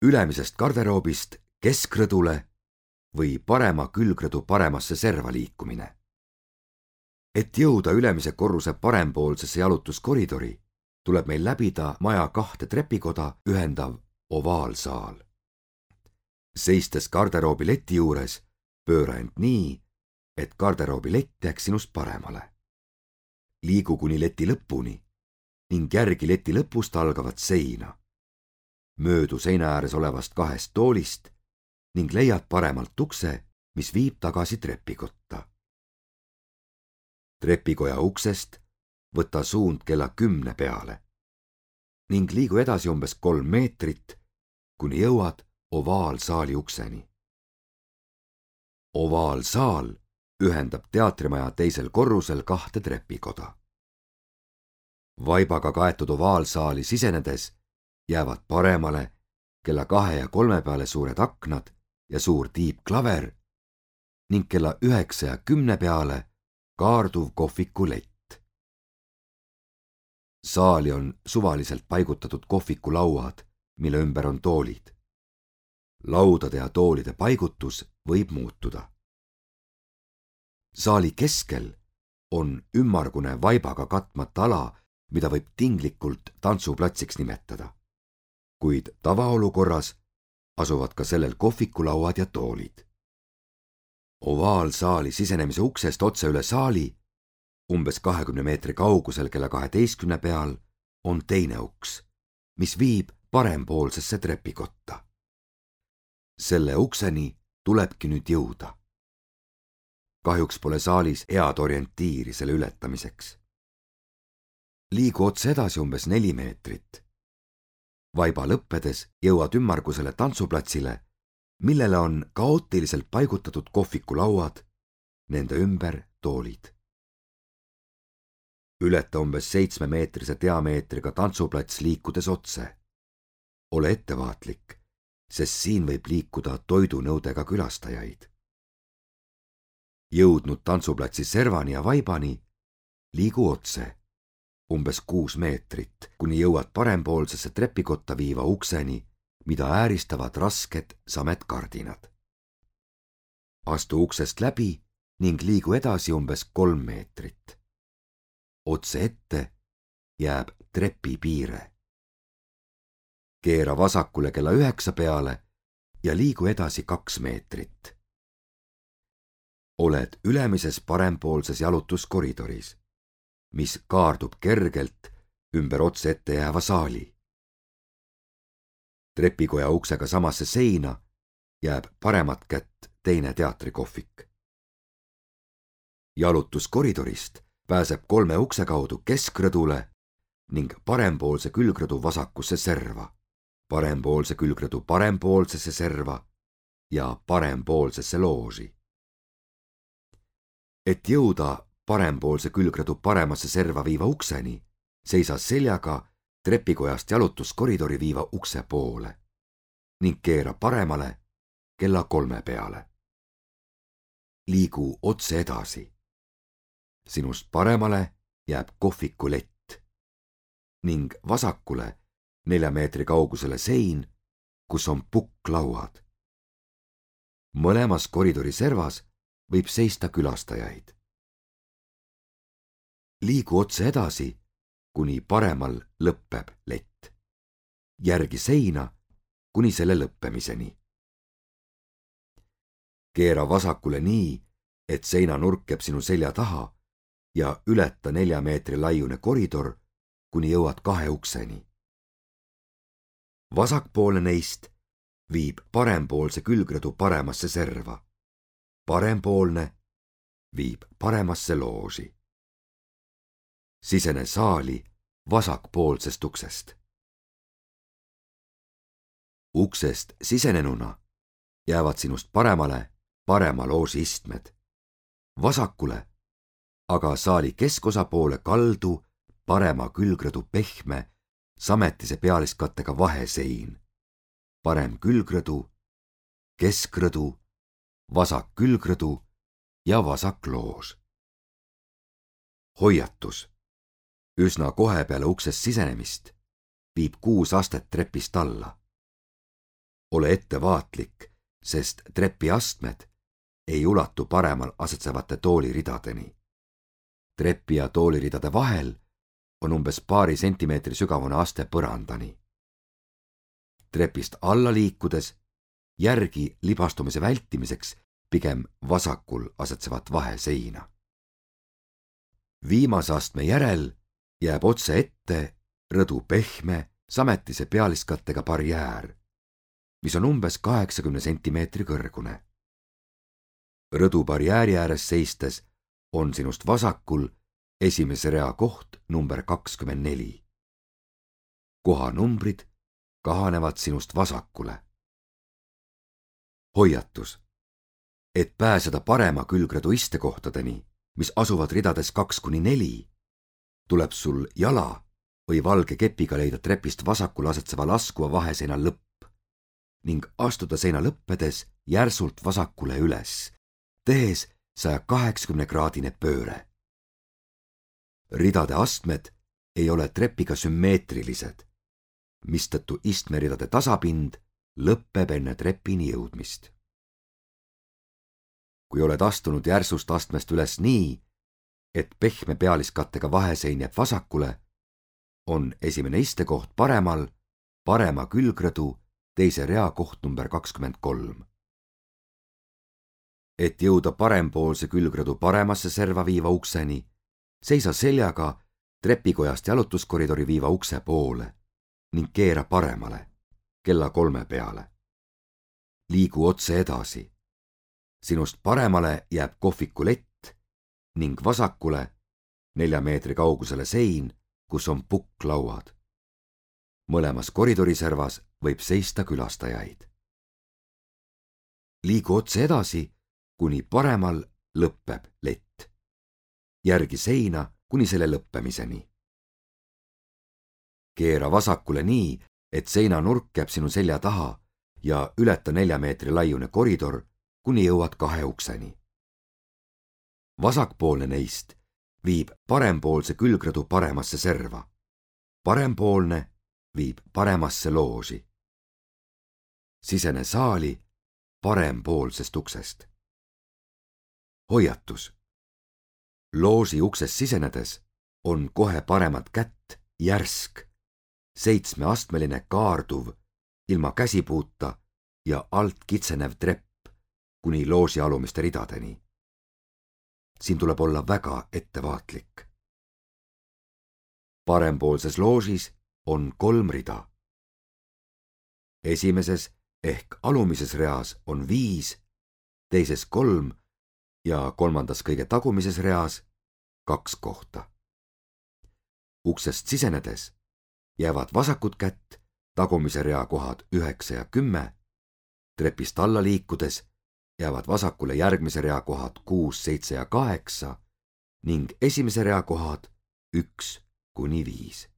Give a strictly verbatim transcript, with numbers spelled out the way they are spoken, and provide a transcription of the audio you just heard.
ülemisest garderoobist keskrõdule või parema külgrõdu paremasse serva liikumine. Et jõuda ülemise korruse parempoolsesse jalutuskoridori, tuleb meil läbida maja kahte trepikoda ühendav ovaalsaal. Seistes garderoobi leti juures, pööra end nii, et garderoobi lett jääks sinust paremale. Liigu kuni leti lõpuni ning järgi leti lõpust algavat seina. Möödu seina ääres olevast kahest toolist ning leiad paremalt ukse, mis viib tagasi trepikotta. Trepikoja uksest võta suund kella kümne peale ning liigu edasi umbes kolm meetrit, kuni jõuad ovaalsaali ukseni. Ovaalsaal ühendab teatrimaja teisel korrusel kahte trepikoda. Vaibaga kaetud ovaalsaali sisenedes jäävad paremale kella kahe ja kolme peale suured aknad ja suur tiibklaver ning kella üheksa ja kümne peale kaarduv kohviku lett. Saali on suvaliselt paigutatud kohvikulauad, mille ümber on toolid. Laudade ja toolide paigutus võib muutuda. Saali keskel on ümmargune vaibaga katmata ala, mida võib tinglikult tantsuplatsiks nimetada, kuid tavaolukorras asuvad ka sellel kohvikulauad ja toolid. Ovaalsaali sisenemise uksest otse üle saali, umbes kahekümne meetri kaugusel kella kaheteistkümne peal, on teine uks, mis viib parempoolsesse trepikotta. Selle ukseni tulebki nüüd jõuda. Kahjuks pole saalis head orientiiri selle ületamiseks. Liigu otse edasi umbes neli meetrit. Vaiba lõppedes jõuad ümmargusele tantsuplatsile, millele on kaootiliselt paigutatud kohvikulauad, nende ümber toolid. Ületa umbes seitsmemeetrise diameetriga tantsuplats liikudes otse. Ole ettevaatlik, sest siin võib liikuda toidunõudega külastajaid. Jõudnud tantsuplatsi servani ja vaibani, liigu otse, umbes kuus meetrit, kuni jõuad parempoolsesse trepikotta viiva ukseni, mida ääristavad rasked sametkardinad. Astu uksest läbi ning liigu edasi umbes kolm meetrit. Otse ette jääb trepipiire. Keera vasakule kella üheksa peale ja liigu edasi kaks meetrit. Oled ülemises parempoolses jalutuskoridoris, mis kaardub kergelt ümber otse ette jääva saali. Trepikoja uksega samasse seina jääb paremat kätt teine teatrikohvik. Jalutuskoridorist pääseb kolme ukse kaudu keskrõdule ning parempoolse külgrõdu vasakusse serva, parempoolse külgrõdu parempoolsesse serva ja parempoolsesse looži. Et jõuda parempoolse külgrõdu paremasse serva viiva ukseni, seisa seljaga trepikojast jalutuskoridori viiva ukse poole ning keera paremale kella kolme peale. Liigu otse edasi. Sinust paremale jääb kohviku lett ning vasakule nelja meetri kaugusele sein, kus on pukklauad. Mõlemas koridori servas võib seista külastajaid. Liigu otse edasi, kuni paremal lõpeb lett. Järgi seina, kuni selle lõppemiseni. Keera vasakule nii, et seinanurk jääb sinu selja taha ja ületa nelja meetri laiune koridor, kuni jõuad kahe ukseni. Vasakpoolne neist viib parempoolse külgrõdu paremasse serva. Parempoolne viib paremasse looži. Sisene saali vasakpoolsest uksest. Uksest sisenenuna jäävad sinust paremale parema looži istmed. Vasakule aga saali keskosa poole kaldu parema külgrõdu pehme sametise pealiskattega vahesein. Parem külgrõdu, keskrõdu, vasak külgrõdu ja vasak loos. Hoiatus. Üsna kohe peale uksest sisenemist viib kuus astet trepist alla. ole ettevaatlik, sest trepiastmed ei ulatu paremal asetsevate tooliridadeni. Trepi ja tooliridade vahel on umbes paari sentimeetri sügavune aste põrandani. Trepist alla liikudes järgi libastumise vältimiseks pigem vasakul asetsevat vaheseina. Viimase astme järel jääb otse ette rõdu pehme, sametise pealiskattega barjäär, mis on umbes kaheksakümne sentimeetri kõrgune. Rõdu barjääri ääres seistes on sinust vasakul esimese rea koht number kakskümmend neli. Kohanumbrid kahanevad sinust vasakule. Hoiatus, et pääseda parema külgrõdu istekohtadeni, mis asuvad ridades kaks kuni neli, tuleb sul jala või valge kepiga leida trepist vasakul asetseva laskuva vaheseina lõpp ning astuda seina lõppedes järsult vasakule üles, tehes saja kaheksakümne kraadine pööre. Ridade astmed ei ole trepiga sümmeetrilised, mistõttu istmeridade tasapind lõppeb enne trepini jõudmist. Kui oled astunud järsust astmest üles nii, et pehme pealiskattega vahesein jääb vasakule, on esimene istekoht paremal, parema külgrõdu teise rea koht number kakskümmend kolm. Et jõuda parempoolse külgrõdu paremasse serva viiva ukseni, seisa seljaga trepikojast jalutuskoridori viiva ukse poole ning keera paremale, kella kolme peale. Liigu otse edasi. Sinust paremale jääb kohviku lett ning vasakule nelja meetri kaugusele sein, kus on pukklauad. Mõlemas koridoriservas võib seista külastajaid. Liigu otse edasi, kuni paremal lõppeb lett. Järgi seina kuni selle lõppemiseni. Keera vasakule nii, et seina nurk jääb sinu selja taha ja ületa nelja meetri laiune koridor, kuni jõuad kahe ukseni. Vasakpoolne neist viib parempoolse külgrõdu paremasse serva. Parempoolne viib paremasse looži. Sisene saali parempoolsest uksest. Hoiatus. Looži uksest sisenedes on kohe paremat kätt järsk, seitsmeastmeline kaarduv, ilma käsipuuta ja alt kitsenev trepp kuni looži alumiste ridadeni. Siin tuleb olla väga ettevaatlik. Parempoolses loožis on kolm rida. Esimeses ehk alumises reas on viis, teises kolm ja kolmandas kõige tagumises reas kaks kohta. Uksest sisenedes jäävad vasakut kätt tagumise rea kohad üheksa ja kümme, trepist alla liikudes jäävad vasakule järgmise rea kohad kuus, seitse ja kaheksa ning esimese rea kohad üks kuni viis.